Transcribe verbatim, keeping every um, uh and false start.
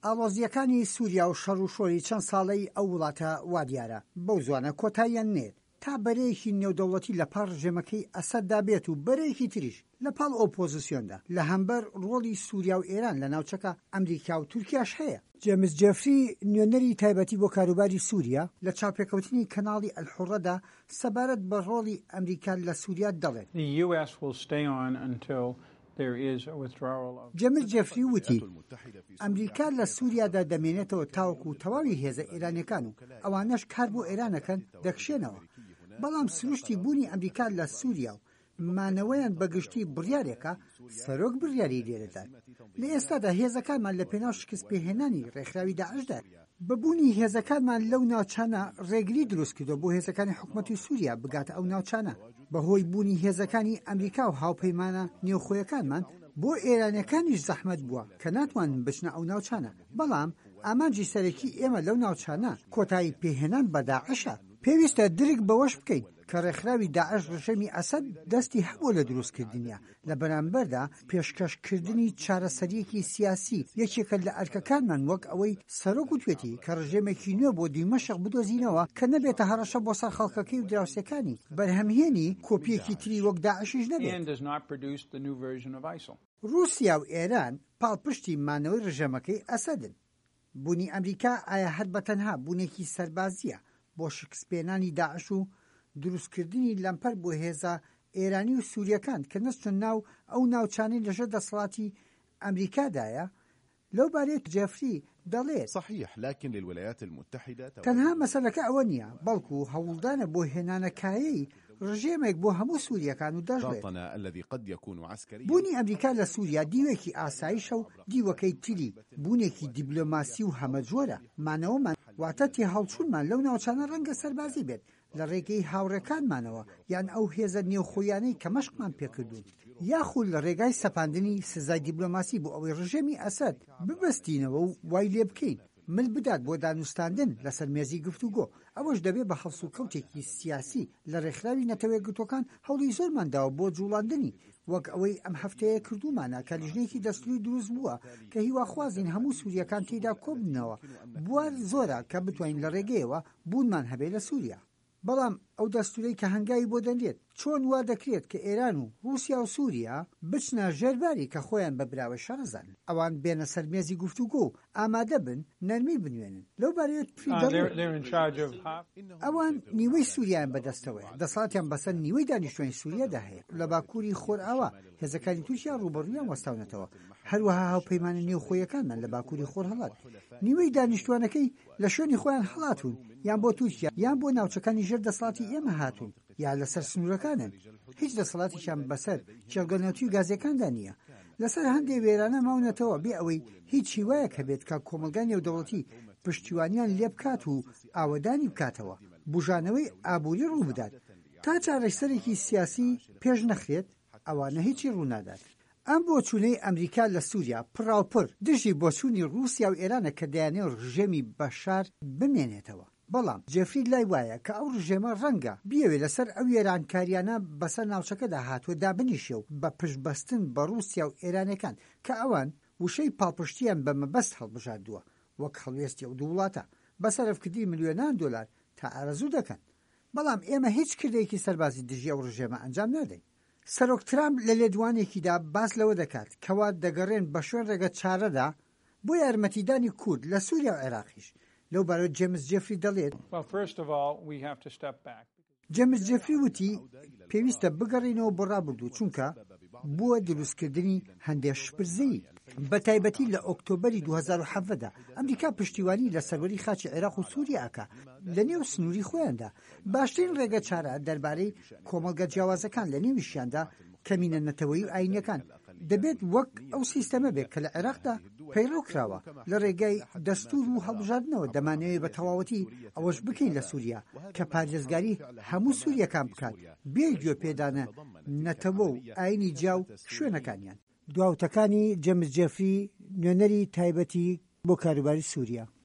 ئاڵۆزییەکانی سووریا و شەڕ و شۆری چەند ساڵەی ئەو وڵاتە وادیارە بەو زوانە کۆتاییان نێت تا بەرەیەکی نێودەوڵەتی لە پاڵ ڕژێمەکەی ئەسەددا بێت و بەرەیەکی تریش لە پاڵ ئۆپۆزیسیۆندا. لە هەمبەر ڕۆڵی سووریا و ئێران لە ناوچەکە، ئەمریکا و تورکیاش هەیە. جێمس جێفری، نوێنەری تایبەتی بۆ کاروباری سووریا، لە چاوپێکەوتنی کەناڵی ئەلحوڕەدا سەبارەت بە ڕۆڵی ئەمریکا لە سووریا دەڵێت. جێمس جێفری وتی، ئەمریکا لە سووریادا دەمێنێتەوە تاوەکو تەواوی هێزە ئێرانیەکان و ئەوانەش کار بۆ ئێران ئەکەن دەکشێنەوە، بەڵام سروشتی بوونی ئەمریکا لە سووریا و مانەوەیان بەگشتی بڕیارێکە سەرۆک بڕیاری لێدەدات. لە ئێستادا هێزەکانمان لە پێناو شکستپێهێنانی ڕێکخراوی داعشدایە. بە بوونی هێزەکانمان لەو ناوچانە ڕێگری دروستکردووە بۆ هێزەکانی حکومەتی سووریا بگاتە ئەو ناوچانە. بەهۆی بوونی هێزەکانی ئەمریکا و هاوپەیمانە نێوخۆیەکانمان، بۆ ئێرانیەکانیش زەحمەت بووە کە ناتوانن بچنە ئەو ناوچانە، بەڵام ئامانجی سەرەکی ئێمە لەو ناوچانە کۆتایی پێهێنان بە داعشە. پێویستە درک بەوەش بکەین کە ڕێکخراوی داعش ڕژێمی ئەسەد دەستی هەبووە لە دروستکردنیا، لە بەرامبەردا پێشکەشکردنی چارەسەرییەکی سیاسی یەکێکە لە ئەرکەکانمان وەک ئەوەی سەرۆک وتوێتی کە ڕژێمێکی نوێ بۆ دیمەشق بدۆزینەوە کە نەبێتە هەڕەشە بۆ سەر خەڵکەکەی و دراوسێکانی، بەرهەمهێنی کۆپییەکی تری وەک داعشیش نەبێت. ڕووسیا و ئێران پاڵپشتی مانەوەی ڕژێمەکەی ئەسەدن. بوونی ئەمریکا ئایا هەر بەتەنها بوونێکی سەربازییە بۆ شکستپێنانی داعش و دروستکردنی لەمپەر بۆ هێزە ئێرانی و سووریەکان کە نەچنە ناو ئەو ناوچانەی لەژێر دەسەڵاتی ئەمریکادایە؟ لەو بارەیە جێفری دەڵێت. صحيح لكن للولايات المتحدة تەنها مەسەلەکە ئەوە نییە، بەڵکو هەوڵدانە بۆ هێنانەکایەی ڕژێمێک بۆ هەموو سووریەکان و دەشڵێت. ضغطنا الذي قد يكون عسكريا بوونی ئەمریکا لە سووریا دیوێکی ئاسایشە و دیوەکەی تری بوونێکی دیبلۆماسی و هەمەجۆرە. مانەوەمان واتە تێهەڵچوونمان لەو ناوچانە ڕەنگە سەربازی بێت لە ڕێگەی هاوڕێکانمانەوە یان ئەو هێزە نێوخۆیانەی کە مەشقمان پێکردوون، یاخود لە ڕێگای سەپاندنی سزای دیبلۆماسی بۆ ئەوەی ڕژێمی ئەسەد ببەستینەوە و وای لێبکەین مل بدات بۆ دانوستاندن لەسەر مێزی گفتوگۆ. ئەوەش دەبێت بە هەڵسوکەوتێکی سیاسی. لە ڕێکخراوی نەتەوە یەکگرتووەکان هەوڵی زۆرمان داوە بۆ جوڵاندنی، وەک ئەوەی ئەم هەفتەیە کردوومانە کە لیژنەیەکی دەستوری دروست بووە کە هیواخوازین هەموو سووریەکان تێیدا کۆببنەوە. بوار زۆرە کە بتوانین لە ڕێگەیەوە بوونمان هەبێت لە سووریا. بەڵام ئەو دەستورەی کە هەنگاوی بۆ دەنرێت، چۆن وا دەکرێت کە ئێران و ڕووسیا و سووریا بچنە ژێرباری کە خۆیان بە براوەی شەڕ ئەزانن، ئەوان بێنە سەر مێزی گفتوگۆ و ئامادە بن نەرمی بنوێنن؟ لەو بارەیەوە تری دەڵێت. ئەوان نیوەی سووریایان بەدەستەوەیە، دەسەڵاتیان بەسەر نیوەی دانیشتوانی سووریادا هەیە. لە باکووری خۆرئاوا هێزەکانی تورکیا ڕووبەڕوویان وەستاونەتەوە، هەروەها هاوپەیمانە نێوخۆییەکانمان لە باکووری خۆرهەڵات. نیوەی دانیشتووانەکەی لە شوێنی خۆیان هەڵاتوون، یان بۆ تورکیا یان بۆ ناوچەکانی ژێر دەسەڵاتی ئێمە هاتوون یا لەسەر سنوورەکانن. هیچ دەسەڵاتێکیان بەسەر کێڵگە نەوتی و گازییەکاندا نییە. لەسەر هەندێ وێرانە ماونەتەوە بێ ئەوەی هیچ هیوایەک هەبێت کە کۆمەڵگای نێودەوڵەتی پشتیوانیان لێبکات و ئاوەدانی بکاتەوە، بوژانەوەی ئابووری ڕووبدات. تا چارەسەرێکی سیاسی پێش نەخرێت، ئەوانە هیچی ڕوونادات. ئەم بۆچوونەی ئەمریکا لە سووریا پڕاوپڕ دژی بۆچوونی ڕووسیا و ئێرانە کە دەیانەوێت ڕژێمی بەشار بمێنێتەوە. بەڵام جێفری لای وایە کە ئەو ڕژێمە ڕەنگە بیەوێت لەسەر ئەو وێرانکاریانە بەسەر ناوچەکەدا هاتووە دابنیشێ و بە پشتبەستن بە ڕووسیا و ئێرانیەکان کە ئەوان وشەی پاڵپشتییان بە مەبەست هەڵبژاردووە وەک هەڵوێستی ئەو دوو وڵاتە بە سەرفکردنی ملیۆنان دۆلار تا ئارەزوو دەکەن. بەڵام ئێمە هیچ کردەیەکی سەربازی دژی ئەو ڕژێمە ئەنجام نادەین. سەرۆک ترامپ لە لێدوانێکیدا باس لەوە دەکات کەوا دەگەڕێن بە شوێن ڕێگە چارەدا بۆ یارمەتیدانی کورد لە سووریا و عێراقیش. لەو بارەوە جێمس جێفری دەڵێت. جێمس جێفری وتی، پێویستە بگەڕێینەوە بۆ ڕابردوو، چونکە بووە دروستکردنی هەندێ شپرزەیی. بەتایبەتی لە ئۆکتۆبەری دوو هەزار و حەڤدە دا ئەمریکا پشتیوانی لە سەروەری خاکی عێراق و سووریا ئەکا لە نێو سنووری خۆیاندا. باشترین ڕێگە چارە دەربارەی کۆمەڵگە جیاوازەکان لە نێویشیاندا کەمینە نەتەوەیی و ئاینیەکان دەبێت وەک ئەو سیستەمە بێت کە لە عێراقدا پەیڕەو کراوە لە ڕێگای دەستور و هەڵبژاردنەوە. دەمانەوێت بە تەواوەتی ئەوەش بکەین لە سوریا کە پارێزگاری هەموو سوریەکان بکات بێ گوێ پێدانە نەتەوە و ئاینی جیا و شوێنەکانیان. دواوتەکانی جێمس جێفری نوێنەری تایبەتی بۆ کاروباری سوریا.